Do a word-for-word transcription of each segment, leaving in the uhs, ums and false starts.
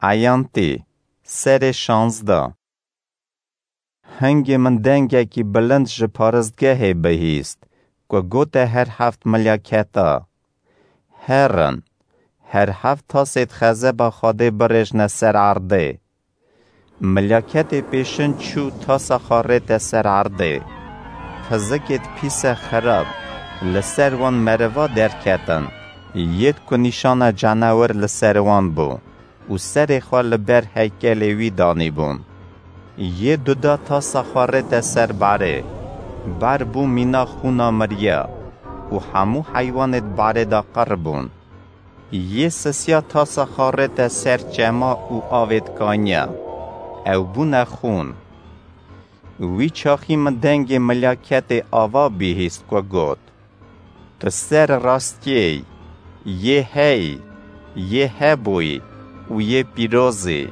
Eyantî, serê şanzda. Hingê min dengekî bilind ji paristgehê bihîst, ku gote her heft milyaketa: Herin, her heft tasêd xezeba Xwedê birêjne ser erdê. Milyaketê pêşin çû tasa xwe rête ser erdê. Pizikêd pîse xirab li ser wan meriva derketin, yêd ku nîşana canewir li ser wan bû û serê xwe li ber heykelê wî danîbûn. Yê duda tasa xwe rête ser barê. Bar bû mîna xûna miriya û hemû heywanêd barê de qir bûn. Yê sisiya tasa xwe rête ser çema û avêd kaniya. Ew bûne xûn. Wî çaxî min dengê milyaketê ava bihîst ku got: Tu ser rastiyê yî, yê heyî, yê hebûyî û yê pîrozî,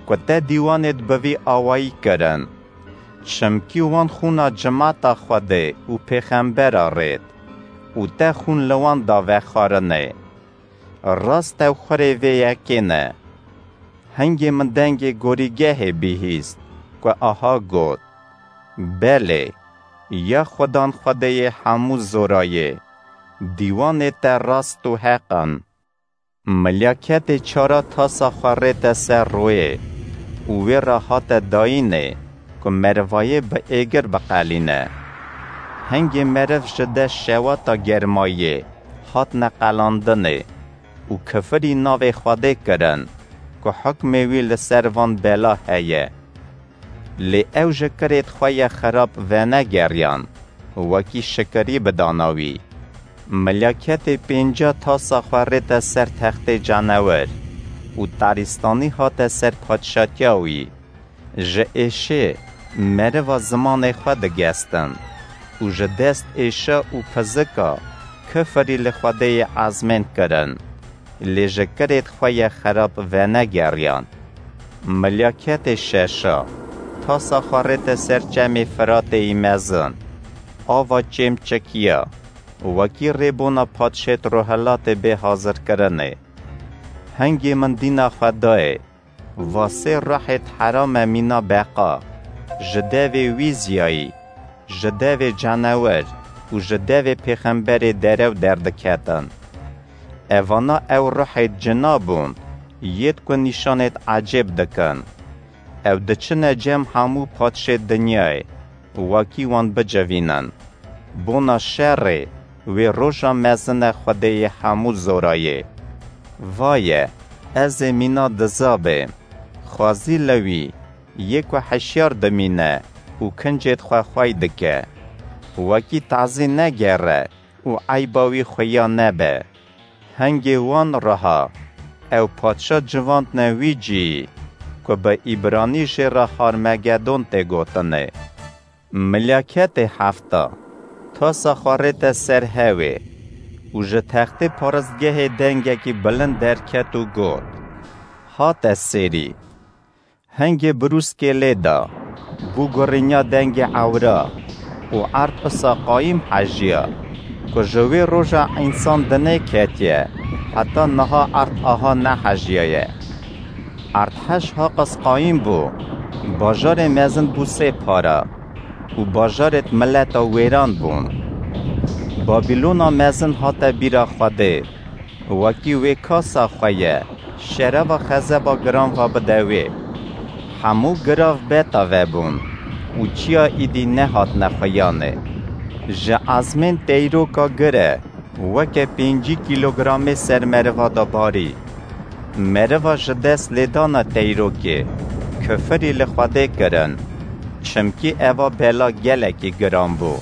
ku te dîwanêd bi vî awayî kirin. Çimkî wan xûna cimata Xwedê û pêxembera rêt û te xûn li wan da vexwarinê. Rast ew xurê vê yekê ne. Hingê min dengê gorîgehê bihîst, ku aha got: Belê, ya Xudan Xwedêyê hemû zorayê, dîwanê te rast û heq in. Milyaketê çara tasa xwe rête ser royê û wê re hate dayînê, ku merivayê bi êgir biqelîne. Hingê meriv ji de şewata germayê hatine qelandinê û kifirî navê Xwedê kirin, ku hukmê wî li ser van bela heye. Lê ew ji kirêd xwe yê xirab venegeriyan, wekî şikirî bidana wî. Milyaketê pênca tasa xwe rête ser textê canewir û tarîstanî hate ser padşatiya wî. Ji êşê meriva zimanê xwe digestin û ji dest êşa û pizika kifirî li Xwedêyê ezmên kirin, lê ji kirêd xwe yê xerab venegeriyan. Milyaketê şeşa tasa xwe rête ser çemê Firatê yî mezin, ava çêm çikiya, wekî rêbûna padşêd rohilatê bê hazirkirinê. Hingê min dîna xwe dayê, va sê ruhêd herame mîna beqa, ji devê wî ziyayî, ji devê canewir û ji devê pêxemberê derew derdiketin. Evana ew ruhêd cina bûn, yêd ku nîşanêd ecêb dikin. Ew diçine cem hemû padşêd dinyayê, wekî wan bicivînin. Bona şerê wê roja mezine Xwedêyê hemû zorayê. Vaye, ez ê mîna diza bêm. Xwezî li wî, yê ku hişyar dimîne û kincêd xwe xwey dike. Wekî tazî negere û eyba wî xuya nebe. Hingê wan riha, ew padşa civandne wî cîyî, ku bi îbranî jê re Harmegedon tê gotinê. Milyaketê hefta, tasa xwe rête ser hewê û ji textê paristgehê dengekî bilind derket û got: Hate sêrî. Hingê birûskê lê da, bû gurînya dengê ewra û erd usa qayîm hejiya, ku ji wê roja însan dinê ketiye, heta niha erd aha nehejiyaye. Erdhej haqas qayîm bû, bajarê mezin bû sê para û bajarêd mileta wêran bûn. Babilona mezin hate bîra Xwedê, wekî wê kasa xwe ye, şerava xezeba giran va bide wê. Hemû girav beta vebûn û çiya îdî nehatine xuyanê. Ji ezmên teyroka gire weke pêncî kîlogramê ser meriva da barî. Meriva ji dest lêdana teyrokê kifirî li Xwedê kirin, çimkî eva bela gelekî giran bû.